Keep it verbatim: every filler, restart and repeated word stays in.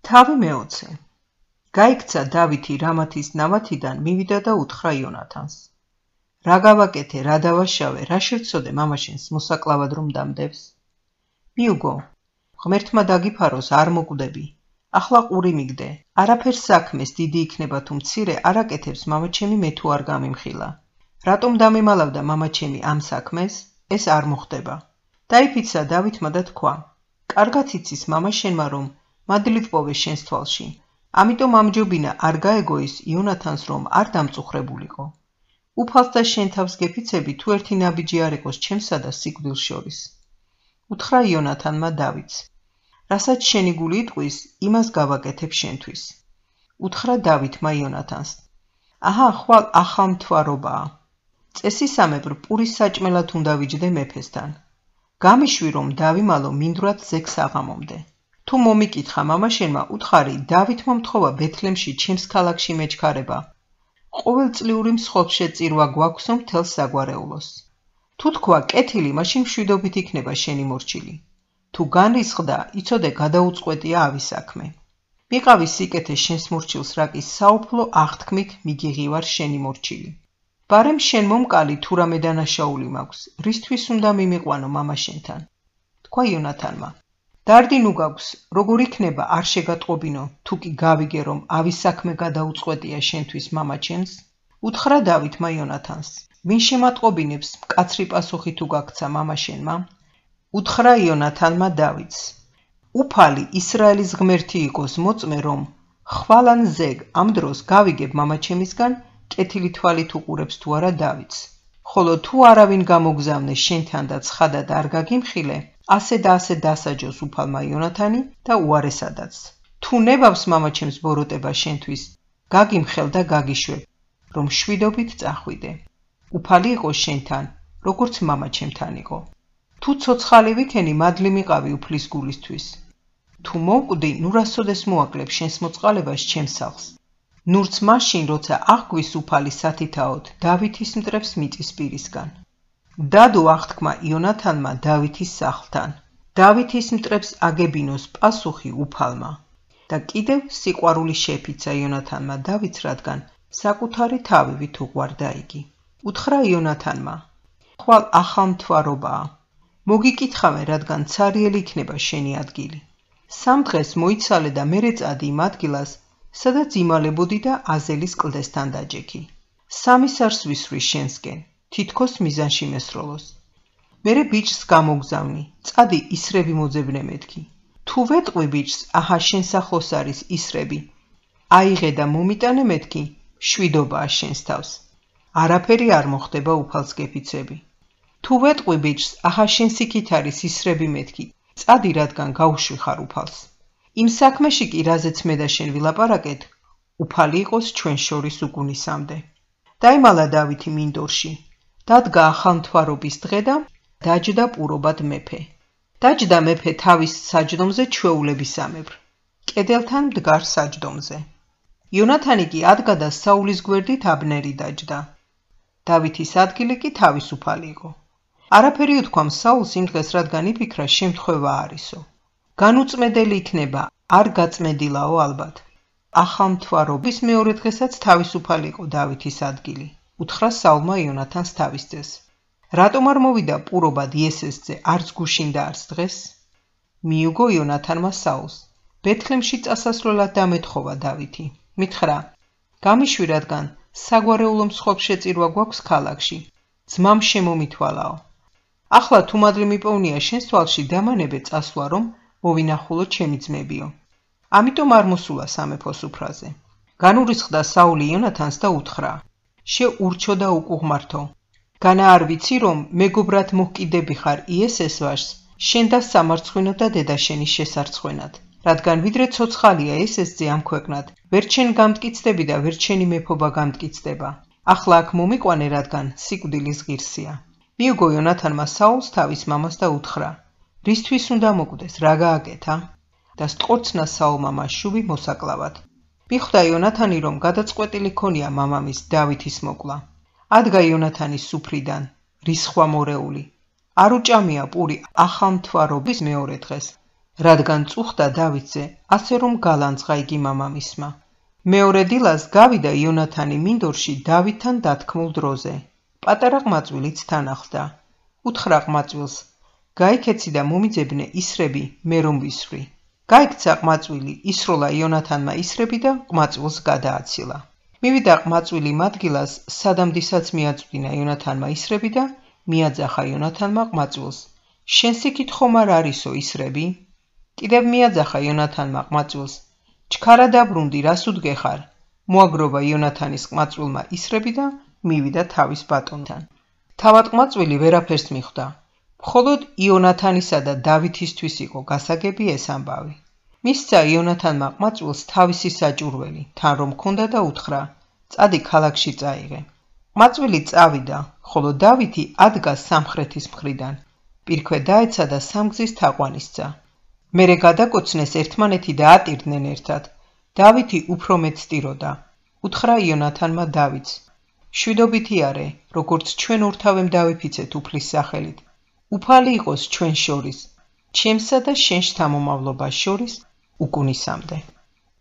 თავი მეოცე. გაიქცა დავითი რამათის ნავათიდან მივიდა და უთხრა იონათანს. რა გავაკეთე, რა დავაშავე, რა შევცოდე მამაშენს მოსაკლავად რომ დამდევს? მიუგო, ღმერთმა დაგიფაროს, არ მოკვდები. ახლა ყური მიგდე, არაფერს საქმეს დიდი იქნება თუ მცირე, არ აკეთებს მამაჩემი მე თუ არ გამიმხილა. რატომ დამემალავდა მამაჩემი ამ საქმეს? ეს არ მოხდება. დაიფიცა დავითმა და თქვა, კარგად იცის მამაშენმა რომ მადლით პოვე შენს თვალში. ამიტომ ამჯობინა არ გაეგოის იონათანს რომ არ დამწუხრებულიყო. უფალს და შენ თავს გეფიცები თუ ერთი ნაბიჯი არ იყოს ჩემსა და სიკვდილს შორის. უთხრა იონათანმა დავითს. რასაც შენი გული იტყვის, იმას გავაკეთებ შენთვის. უთხრა დავითმა იონათანს. აჰა, ხვალ ახალმთვარობაა. წესისამებრ პურის საჭმელად უნდა ვიჯდე მეფესთან. გამიშვი რომ დავიმალო მინდვრად ზეგს აღამომდე. თუ მომიკითხა მამაშენმა, უთხარი დავითმა მთხოვა ბეთლემში ჩემს ქალაქში მეჩქარება. ყოველწლიური მსხლშეწირვა გვაქვსო მთელს საგვარეულოს. თუ თქვა კეთილი, მაშინ მშვიდობით იქნება შენი მორჩილი. თუ განრისხდა, იცოდე გადაუწყვეტია ავის საქმე. მიყავი სიკეთე შენს მორჩილს რაკის საუფლო აღთქმით მიგიღივარ შენი მორჩილი. ბარემ შენ მომკალი თუ რამე დანაშაული მაქვს, რისთვის უნდა მიმიყვანო მამაშენთან? თქვა იონათანმა. დარდი ნუ გაქვს, როგორ იქნება არ შეგატყობინო, თუ კი გავიგე რომ ავის საქმე გადაუწყვეტია შენთვის მამაჩემს? უთხრა დავითმა იონათანს. ვინ შემატყობინებს, მკაცრი პასუხი თუ გაქცა მამაშენმა? უთხრა იონათანმა დავითს. უფალი ისრაელის ღმერთი იყოს მოწმე რომ ხვალან ზეგ ამ დროს გავიგებ მამაჩემისგან კეთილი თვალით უყურებს თუ არა დავითს. ხოლო თუ არავინ გამოგზავნე შენთან და ცხადად არ გაგიმხილე, ასე და ასე დასაჯოს უფალმა იონათანი და უარესადაც. თუ ნებავს მამაჩემს ბოროტება შენთვის, გაგიმხელ და გაგიშვებ, რომ შვიდობით წახვიდე. უფალი იყოს შენთან, როგორც მამაჩემთან იყო. თუ ცოცხალი ვიქენი, მადლი მიყავი უფლის გულისთვის. თუ მოვკვდი, ნუ რასოდეს მოაკლებ შენს მოწყალებას ჩემს სახლს. ნურც მაშინ, როცა აღგვის უფალი სათითაოდ, დავითის მტრებს მიწის პირისგან. დადო აღთქმა იონათანმა დავითის სახლთან. დავითის მტრებს აგებინოს პასუხი უფალმა. და კიდევ სიყვარული შეფიცა იონათანმა დავითს, რადგან საკუთარი თავივით უყვარდა იგი. უთხრა იონათანმა. ხვალ ახალმთვარობაა. მოგიკითხავე, რადგან ცარიელი იქნება შენი ადგილი. სამ დღეს მოიცალე და მერე წადი იმ ადგილას, სადაც იმალებოდი და აზელის კლდესთან დაჯექი. სამი სარს ვისვრი შენსკენ, თითქოს მიზანში მესროლოს. მერე ბიჭს გამოგზავნი, წადი ისრები მოძებნე მეთქი. თუ ვეტყვი ბიჭს, აჰა შენ სახლოს არის ისრები. აიღე და მომიტანე მეთქი, შვიდობაა შენს თავს. არაფერი არ მოხდება უფალს გეფიცები. თუ ვეტყვი ბიჭს, აჰა შენს იქით არის ისრები მეთქი, წადი რადგან გაუშვი ხარ უფალს. იმ საქმეში კი რაზეც მე და შენ ვილაპარაკეთ, უფალი იყოს ჩვენ შორის უგუნისამდე. დაიმალა დავითი მინდორში, დადგა ახალმთვარობის დღე და დაჯდა პურობად მეფე. დაჯდა მეფე თავის საჯდომზე ჩვეულებისამებრ, კედელთან მდგარ საჯდომზე. იონათანი კი ადგა და საულის გვერდით აბნერი დაჯდა. დავითის ადგილი კი თავისუფალი იყო. არაფერი უთქვამ საულს იმ დღეს, რადგან იფიქრა შემთხვევა არისო. განუწმედელი იქნება, არ გაწმედილაო ალბათ. ახალმთვარობის მეორე დღესაც თავისუფალი იყო დავითის ადგილი. უთხრა საულმა იონათანს თავის ძეს. რატომ არ მოვიდა პურობად იესესზე, არც გუშინ და არც დღეს? მიუგო იონათანმა საულს. ბეთლემში წასასვლელად დამეთხოვა დავითი. მითხრა, გამიშვი რადგან საგვარეულო მსხლშეწირვა გვაქვს ქალაქში. ძმამ შემომითვალაო. ახლა თუ მადლი მიპოვნია შენს თვალში, დამანებე წასვლა რომ მოვინახულო ჩემი ძმებიო. ამიტომ არ მოსულა სამეფო სუფრაზე. განურისხდა საული იონათანს და უთხრა, შეურჩო და უკუღმართო. განა არ ვიცი რომ მეგობრად მოჰკიდები ხარ იესეს ვაჟს, შენ და სამარცხვინო და დედაშენის შესარცხვენად. რადგან ვიდრე ცოცხალია ესესზე ამ ქვეყნად, ვერ შენ გამტკიცდები და ვერ შენი მეფობა გამტკიცდება. ახლა აქ მომიყვანე, რადგან სიკვდილის ღირსია. მიუგო იონათანმა საულს თავის მამას და უთხრა, რისთვის უნდა მოკვდეს, რა გააკეთა? და სტყორცნა საულმა მასშუბი მოსაკლავად. მიხვდა იონათანი რომ გადაწყვეტილი ქონია მამამის დავითის მოკლა. ადგა იონათანის სუფრიდან, რისხვა მორეული. არ უჭამია პური ახალმთვარობის მეორე დღეს. რადგან წუხდა დავითზე, ასე რომ გალანძღა იგი მამამისმა. მეორე დილას გავიდა იონათანი მინდორში დავითთან დათქმულ დროზე. პატარა ყმაწვილიც თან ახლდა. უთხრა ყმაწვილს, გაიქეცი და მომიძებნე ისრები, მე რომ ვისრვი. გაიქცა ყმაწვილი, ისროლა იონათანმა ისრები და ყმაწვილს გადააცილა. მივიდა ყმაწვილი მადგილას, სადამდისაც მიაწვდინა იონათანმა ისრები და მიაძახა იონათანმა ყმაწვილს. შენს იქით ხომ არ არისო ისრები? კიდევ მიაძახა იონათანმა ყმაწვილს. ჩქარა დაბრუნდი, რას უდგეხარ? მოაგროვა იონათანის ყმაწვილმა ისრები და მივიდა თავის ბატონთან. თავად ყმაწვილი ვერაფერს მიხვდა. მხოლოდ იონათანისა და დავითისთვის იყო გასაგები ეს ამბავი. მისცა იონათანმა ყმაწვილს თავისი საჭურველი, თან რომ ჰქონდა და უთხრა, წადი ქალაქში წაიღე. ყმაწვილი წავიდა, ხოლო დავითი ადგა სამხრეთის მხრიდან. პირქვე დაეცა და სამგზის თაყვანისცა. მერე გადაკოცნეს ერთმანეთი და ატირდნენ ერთად. დავითი უფრო მეც ტიროდა. უთხრა იონათანმა დავითს, შვიდობითი არე, როგორც ჩვენ ორთავემ დავიფიცეთ უფლის სახელით. უფალი იყოს ჩვენ შორის, ჩემსა და შენ შთამომავლობას შორის უკუნისამდე.